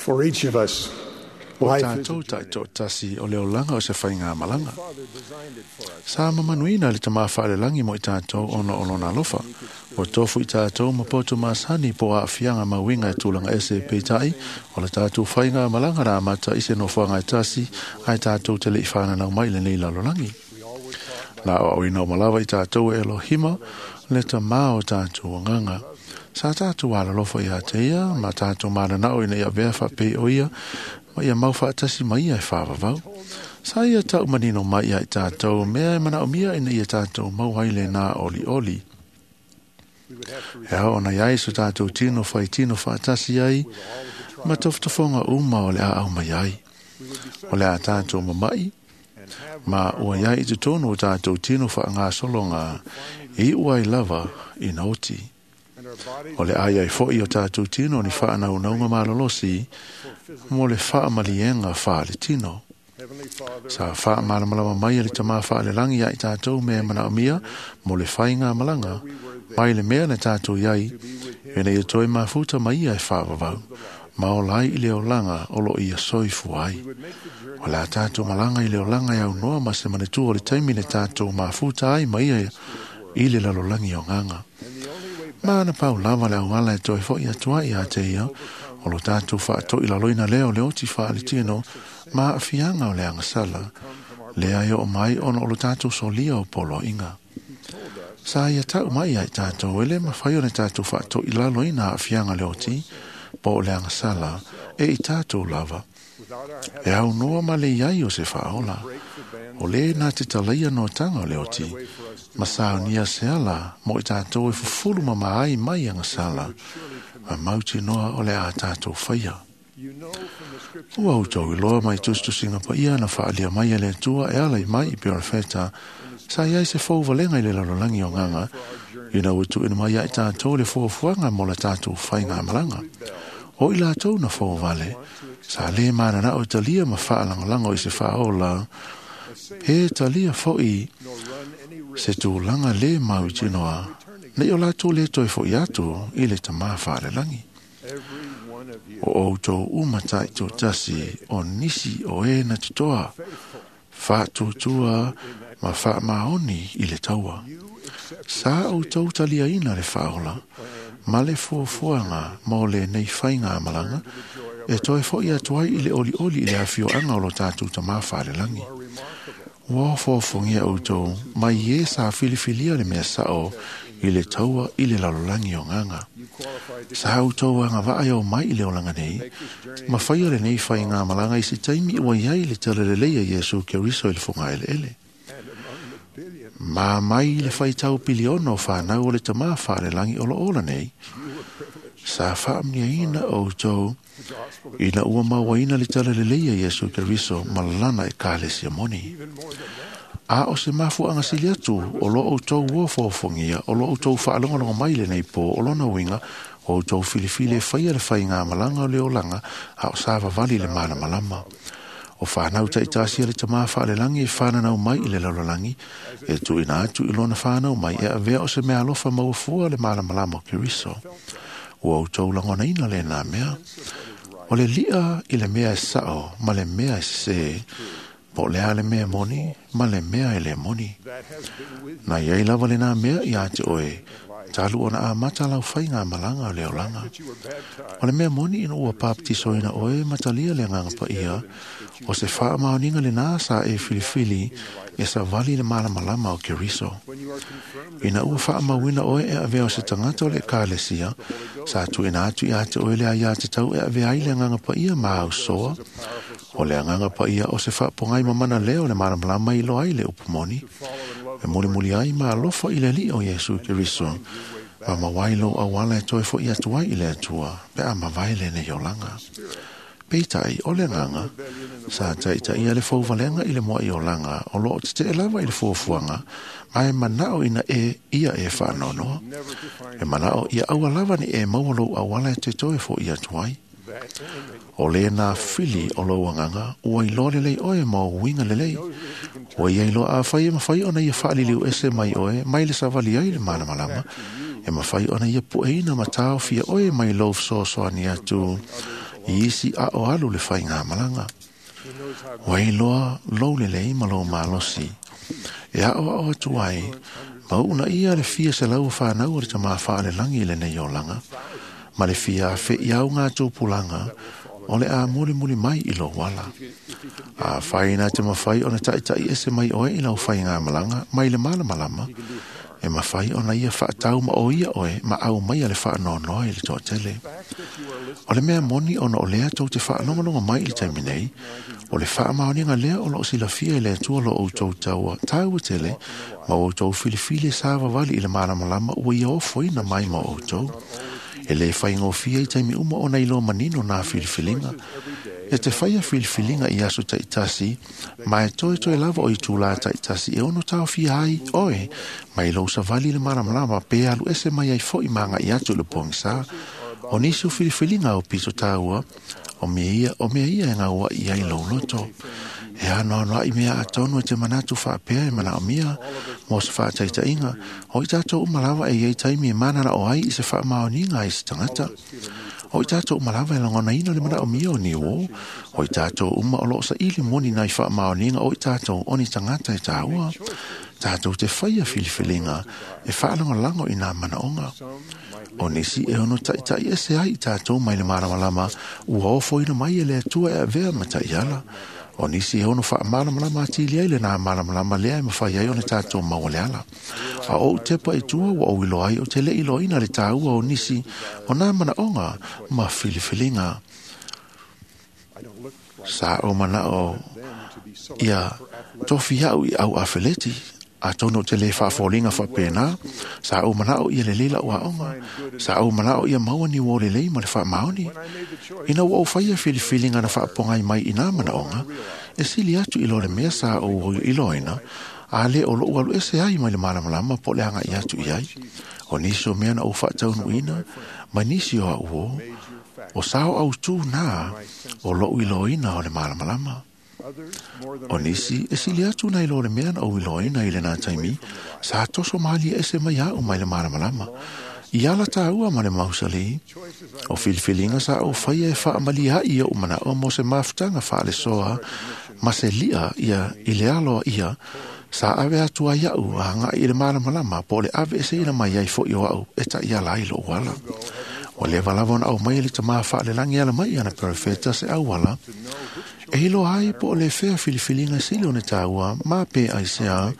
For each of us, O life is a tātou journey. taitoatasi o le olaga o se faigāmalaga. Father designed it for us. Sa mamanuina le tamā faalelangi mo i tātou ona o lona alofa. O tofu i tātou ma poto masani po a fianga mauinga e tūlanga ese peitai, o le tātou whainga malanga rā mata i se nofoanga e tasi, ai tātou te le i whananau mai le nei lalolangi. La o au ina o malawa i tātou e Elohima, le tamā o tātou anganga. Sa tātou alalofa i a te ia, ma tātou mananao ina ia vea whapei o ia, ma ia mau whaatasi mai ia e whāwawau. Sa ia tau manino mai ia i tātou, mea e manao mia ina ia tātou mau haile nā oli oli. We would have to E hao ona iai so tātou tino whai tino whaatasi ai, ma tofutofonga uma o le a au mai ai. we would be O le a tātou mamai, and have ma ua iai i te tonu o tātou tino wha ngā solonga, i ua i lava i naoti. and our bodies O le ai ai foi o tātou tino ni whaanau naunga malolosi, mo le whaamalienga wha le tino. Heavenly Father, Sa wha malamalama mai e le tamā wha le langi ai tātou me mana o mia, mo le whainga malanga, mai le mea le tātou iai, to be with him e nei e toi mafuta mai ia e whaavavau, ma o lai i le olanga o lo ia soifu ai. we would make the journey O la tātou malanga i le olanga i au noa ma se manetua o le taimi le tātou mafuta ai mai ia i le lalolangi o nganga. and the only way back Mana pau lava le auala e toi foi atua i a te ia, o lo tātou whaatoi laloina leo le oti wha le tino, ma awhianga o le angasala, le ai o mai ona o lo tātou solia o polo inga. told us Sa ia tau mai ai tātou, ele mawhai o le tātou whaatoi laloina awhianga le oti, po o le angasala, e i tātou lava. without our E having au noa ma le iai o se whaola, break the bands o le nā te talaia no tanga o le oti, right away for us to ma sao nia se ala, mo i tātou e fufulu ma maai mai angasala, surely commit. ma mauti noa o le a tātou whaia. You know from the scripture Ua au i loa mai tustusinga pa ia na whaalia mai e le atua e ala i mai i peo wheta, sa iai se fau valenga i le lalolagi o nganga, for our journey ina ua tuuina mai ai tātou le fuafuaga mo la tātou faigamalaga. O i latou na fouvale, sa lē mananao e talia ma faalagolago i se faaola, he talia foʻi nor run any risk se tulaga lē mau i tinoa, nei o latou lē toe foʻi atu i le tamā faalelagi. every one of you O outou uma taitoatasi o nisi o e na totoa, faithful faatuatua ma faamaoni i le taua. you accept Sa outou taliaina le faaola, ma le fuafuaga mo le nei faigamalaga, the joy of e toe foʻi atu ai i le olioli i le afioaga o lo tatou tamā faalelagi. are remarkable Ua ofoafogia outou mai e sa filifilia le mea sao i le taua i le lalolagi o gaga. you qualify to Sa outou agavaa e o mai i le olaga nei, make this journey ma faia lenei faigamalaga i se taimi ua iai le talalelei a Iesu Keriso i le fogaeleele. and among the billions Ma mai le faitau piliona o whanau o le tamā whaalelangi o lo ola nei, you were privileged sa whaamniaina outou the gospel of ina ua mauaina le talalelei a Iesu Keriso ma lana e kalesia moni. even more than that A o se mafuaga sili atu o lo outou ua foafoagia, o lo outou faalogologo mai lenei pō, o lona uiga, o outou filifili e faia le faigamalaga o le olaga, a o sa vavali le malamalama. O whanau taitasi a le tamā whaalelagi e whananau mai i le lalolagi, e tuuina atu i lona whanau mai e avea o se mea alofa mauafua le malamalama o Keriso. Ua outou lagonaina lenā mea. O le li'a i le mea e sao ma le mea e sesē, po o le a le mea moni ma le mea e le moni. that has been with Na iai lava lenā mea ia te oe, talu ona amata lau faigamalaga o le olaga. that you were baptized O le mea moni ina ua papatisoina oe ma talia le agaga paia, o se faamaoniga lenā sa e filifili e savali le malamalama o Keriso. when you are confirmed Ina ua faamauina oe e avea o se tagata o le ekalesia, sa tuuina atu ia te oe le aiā tatau e avea ai le agaga paia ma ausoa, is a powerful o le agaga paia o se faapogai mamana lea o le malamalama i loa ai le upu moni, to follow and love e mulimuli ai ma alofa i le alii o Iesu Keriso, ma mawai lou auala e toe foʻi atu ai i le atua, pe a mavae lenei olaga. Peitai o le agaga, sa taitaia le fauvalega i le moaʻi olaga o loo tetee lava i le fuafuaga, ma e manao ina e ia e faanoanoa. never to find E manao ia aua lava ni e maua lou auala e te toe foʻi atu ai. that enemy O lena fili o lou agaga, ua iloa lelei oe ma o uiga lelei. knows that if he can Ua ia iloa afai e mawhai ona ia whaaliliu ese mai oe, mai le savali ai le malamalama, e mawhai ona ia pueina ma tāofia oe mai lou fesoasoani atu I isi a o alu le faigamalaga. Ua iloa lou lelei ma lou malosi e aʻoaʻo atu ai ma uunaia le fia selau o fanau a le Tamā Faalelagi i lenei olaga, ma le fia afeʻi augatupulaga o le a mulimuli mai i lou ala. Afai na te mafai ona taʻitaʻi ese mai oe i lau faigamalaga mai le malamalama, e mafai ona ia faatau ma o ia oe ma aumaia le faanoanoa i le toatele. O le mea moni ona o lea tou te faalogologo mai i le taimi nei, o le faamaoniga lea o loo silafia e le Atua lo outou taua taua tele ma outou filifili e savavali i le malamalama ua ia ofoina mai ma outou. E lē faigofie i taimi uma ona iloa manino nā filifiliga. E te faia filifiliga i aso taʻitasi, ma e toetoe lava o itulā taʻitasi e ono taofia ai oe mai lou savali i le malamalama pe alu ese mai ai foʻi ma agaʻi atu i le pogisā. O nisi o filifiliga au pito tāua, o mea ia, o mea ia e gauaʻi ai lou loto. E anoanoaʻi mea atonu e te manatu faapea e manaʻomia mo se faataitaʻiga, o i tatou uma lava e iai taimi e mananaʻo ai i se faamaoniga ai se tagata. O i tatou uma lava e lagonaina le manaʻomia o ni uō. O i tatou uma o loo saʻili moni nai faamaoniga o i tatou o ni tagata e tāua. Tatou te faia filifiliga e faalagolago i nā manaʻoga. O nisi e ono taʻitaʻi ese ai i tatou mai le malamalama ua ofoina mai e le Atua e avea ma taʻiala. O nisi e ono faamalamalama atili ai lenā malamalama lea e mafai ai ona tatou maua le ala. A ou tepa i tua ua ou iloa ai ou te leʻi iloaina le tāua o nisi o nā manaʻoga ma filifiliga. Sa ou manaʻo ia tofi aʻu i au afeleti, atonu ou te lē faafoliga faapena. Sa ou manaʻo ia lelei laʻu aoga. Sa ou manaʻo ia maua ni uō lelei ma le faamaoni. Ina ua ou faia filifiliga na faapogai mai i nā manaʻoga, e sili atu i lo le mea sa ou iloaina, a lē o loʻu alu ese ai mai le malamalama po o le agaʻi atu i ai. O nisi o mea na ou faataunuuina ma nisi o aʻu uō, o sao autū nā o loʻu iloaina o le malamalama. O nisi e sili atu nai lo le mea na ou iloaina i lenā taimi, sa toso malie ese mai aʻu mai le malamalama. I ala tāua ma le mausalī, o filifiliga sa ou faia e faamaliaʻi oʻu manaʻo mo se mafutaga faalesoa ma se liʻa ia i le alo ia sa ave atu ai aʻu a agaʻi i le malamalama po o le ave eseina mai ai foʻi o aʻu e taʻiala ai loʻu ala. Ua leva lava ona aumaia e le Tamā Faalelagi e ala mai i ana perofeta se auala e iloa ai po o le fea filifiliga e sili ona tāua ma pe aisea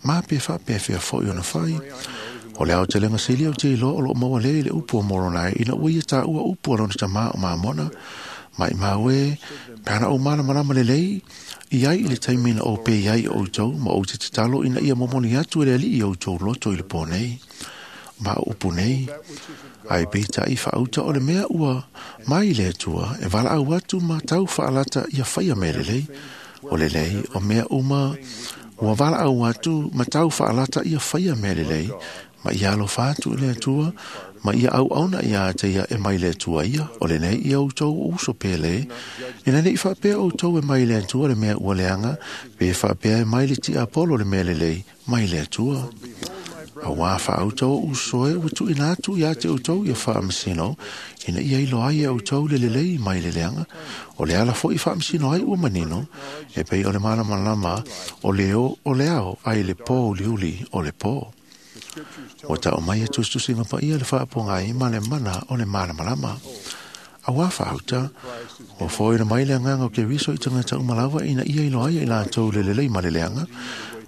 ma pe faapefea foʻi ona fai. O le aotelega sili ou te iloa o loo maua lea i le upu o Moronai ina ua ia taua upu a lona tamā o Mamona. Maʻimau e, pe ana ou malamalama lelei i ai i le taimi na ou pei ai i outou, ma ou te tatalo ina ia momoli atu e le Alii i outou loto i le pō nei, ma o upu nei. Ae peitai faauta o le mea ua mai i le Atua e valaau atu ma tau faalata ia faia mea lelei. O lelei o mea uma ua valaau atu ma tau faalata ia faia mea lelei, ma ia alofa atu i le Atua, ma ia auauna iā te ia e mai le Atua ia, o lenei ia outou uso pele, ina neʻi faapea outou e mai le Atua le mea ua leaga, pe faapea e mai le tiapolo le mea lelei mai le Atua. Auā faauta o uso e ua tuuina atu iā te outou ia faamasino, ina ia iloa ai e outou le lelei mai le leaga. O le ala foʻi faamasino ai ua manino, e pei o le malamalama o le o o le ao ai le pō uliuli o le pō. Ua taʻu mai e tusitusiga paia le faapogai ma le mana o le malamalama. Auā faauta, ua foaina mai le agaga o Keriso i tagata uma lava ina ia iloa ai e i latou le lelei ma le leaga.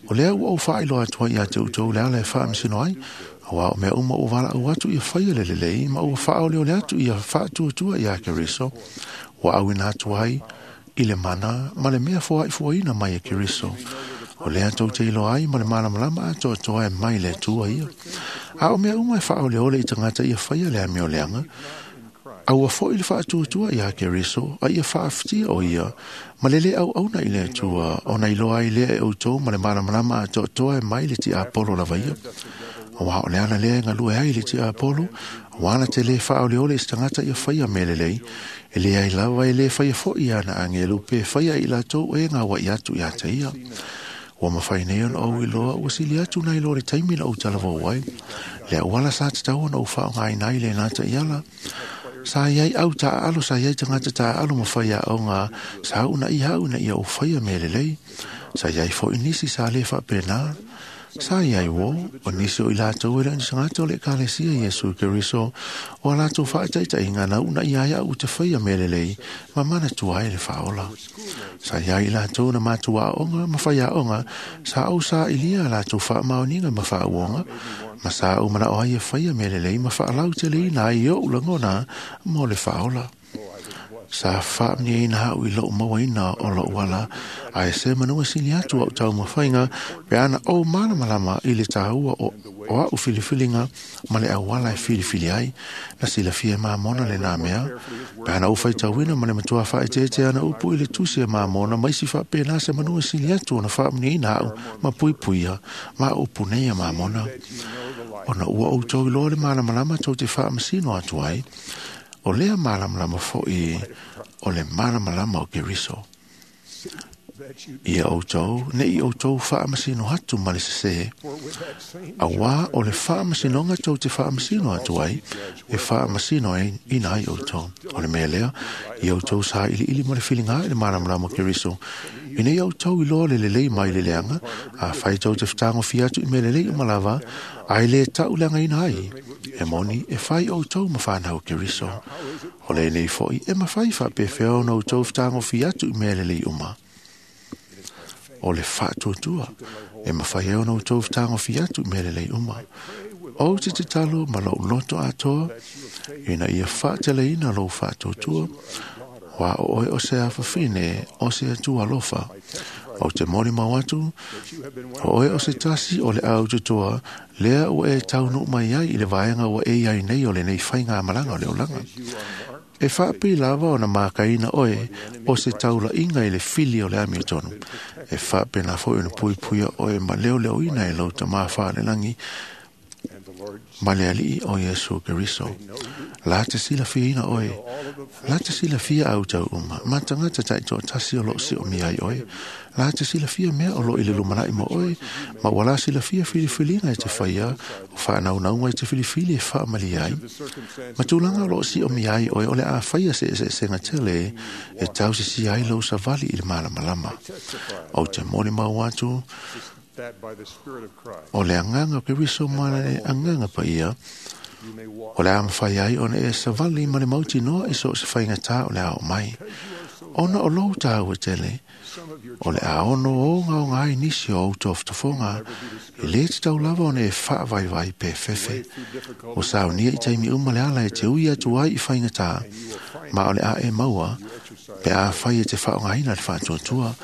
O lea ua ou faailoa atu ai iā te outou le ala e faamasino ai, auā o mea uma ua valaau atu ia faia le lelei ma ua faaoleole atu ia faatuatua iā Keriso, ua auina atu ai i le mana ma le mea foaʻifoaina mai e Keriso. O lea tou te iloa ai ma le malamalama atoatoa e mai le Atua ia. A o mea uma e faaoleole i tagata ia faia le amioleaga, a ua foʻi le faatuatua iā Keriso, a ia faafetia o ia ma le lē auauna i le Atua, ona iloa ai lea e outou ma le malamalama atoatoa e mai le tiapolo lava ia. Auā o le ala lea e galue ai le tiapolo, auā na te lē faaoleole i se tagata ia faia mea lelei, e leai lava e lē faia foʻi ana agelu pe faia i latou e gauaʻi atu iā te ia. Ua mafai nei ona ou iloa ua sili atu nai lo le taimi na ou talavou ai, le auala sa tatau ona ou faaaogaina ai lenā taʻiala. Sa i ai au taaalo, sa i ai tagata taaalo ma faiaoga sa uunaia au ina ia ou faia mea lelei. Sa i ai foi nisi sa le faapena. Sa i ai uō, o nisi o i latou e le o ni tagata o le Ekalesia Iesu Keriso, o a latou faataitaiga na uunaia ai au ou te faia mea lelei ma manatua ai le Faaola. Sa i ai i latou na matou aooga ma faiaoga sa ou sailia a latou faamaoniga ma faauoga, ma sa ou manao ai e faia mea lelei ma faalauteleina ai ou lagona mo le Faaola. Sa faamanuiaina au i lou mauaina o lou ala, ae se manu e sili atu au taumafaiga pe ana ou malamalama i le taua o au filifiliga ma le auala e filifili ai. Na silafia e Mamona lenā mea, pe ana ou faitauina ma le matua faaeteete ana upu i le tusi a Mamona ma isi faapena se manu e sili atu ona faamanuiaina au ma puipuia ma upu nei a Mamona. Ona ua outou iloa le malamalama tou te faamasino atu ai, o lea malamalama foi o le malamalama o Keriso. Ia outou, ne i outou faamasino atu ma le sesē, auā o le faamasinoga tou te faamasino atu ai, e faamasino ina ai outou. O le mea lea, ia outou sailiili ma le filiga i le malamalama o Keriso, ina ia outou iloa le lelei mai le leaga, afai tou te fetagofia atu i mea lelei uma lava, ae le tauleagaina ai, e moni e fai outou ma fanau o Keriso. O lenei foi e mafai faapefea ona outou fetagofia atu i mea lelei uma. O le faatuatua e mafai ai ona outou fetagofia atu i mea lelei uma. Ou te tatalo ma lou loto atoa ina ia faateleina lou faatuatua, aua o oe o se afafine o se Atua alofa. Ou te molimau atu, o oe o se tasi o le aututoa lea ua e taunuu mai ai i le vaega ua e i ai nei o lenei faigamalaga o le olaga. E faapei lava ona makaina oe o se taulaiga i le fili o le amiotonu. E faapena foi ona puipuia oe ma leoleoina e lou Tama Faalelagi ma le Alii o Iesu Keriso. La te silafiaina oe, la te silafia au tau uma, ma tagata taitoatasi o loo siomia ai oe. La te silafia mea o loo i le lumanai mo oe, ma ua la silafia filifiliga e te faia, o faanaunauga e te filifili e faamalie ai. Ma tulaga o loo siomia ai oe, o le a faia se eseesega tele e tausisia ai lou savali i le malamalama. Ou te molimau atu, o le agaga o Keriso ma le agaga paia, o le a mafai ai ona e savali ma le mautinoa i so o se faigata o le a oo mai. Ona o lou taua tele, o le a ono ogaoga ai nisi o ou tofotofoga, e le tatau lava ona e faavaivai pe fefe. Ua saunia i taimi uma le ala e te ui atu ai i faigata, ma o le a e maua, pe afai e te faaaogaina le faatuatua,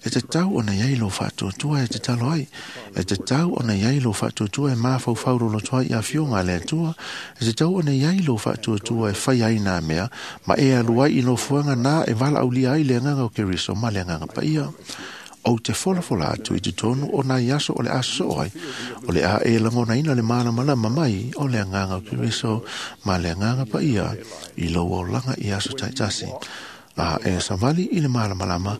e tatau ona i ai lou faatuatua e tatalo ai, e tatau ona i ai lou faatuatua e mafaufau loloto ai i afioga a le Atua, e tatau ona i ai lou faatuatua e fai ai nā mea, ma e alu ai i nofoaga nā e valaaulia ai le agaga o Keriso ma le Agaga Paia. Ou te folafola atu i totonu o nai aso o le a sosoo ai, o le a e lagonaina le malamalama mai o le agaga o Keriso ma le Agaga Paia i lou olaga i aso taitasi. A e savali i le malamalama,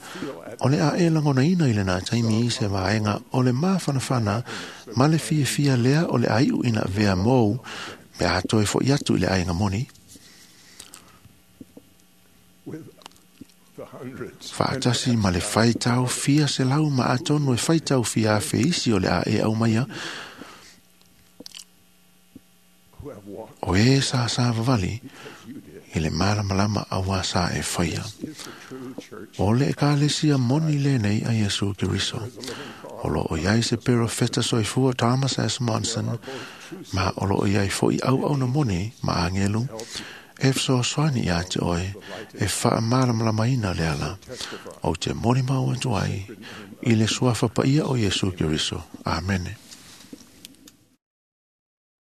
o le a e lagonaina i lenā taimi i se vaega o le mafanafana ma le fiafia lea o le a iu ina avea mou pe a toe foi atu i le aiga moni. Faatasi ma le faitau fia selau ma atonu e faitau fia afe isi o le a e aumaia, o e sa savavali i le malamalama auā sa e faia. O le Ekalesia moni lenei a Iesu Keriso. O lo o i ai se perofeta soifua Thomas S. Monson, ma o lo o i ai foi auauna moni ma agelu e fesoasoani ia te oe e faamalamalamaina le ala ou te molimau atu ai i le suafa paia o Iesu Keriso. Amene.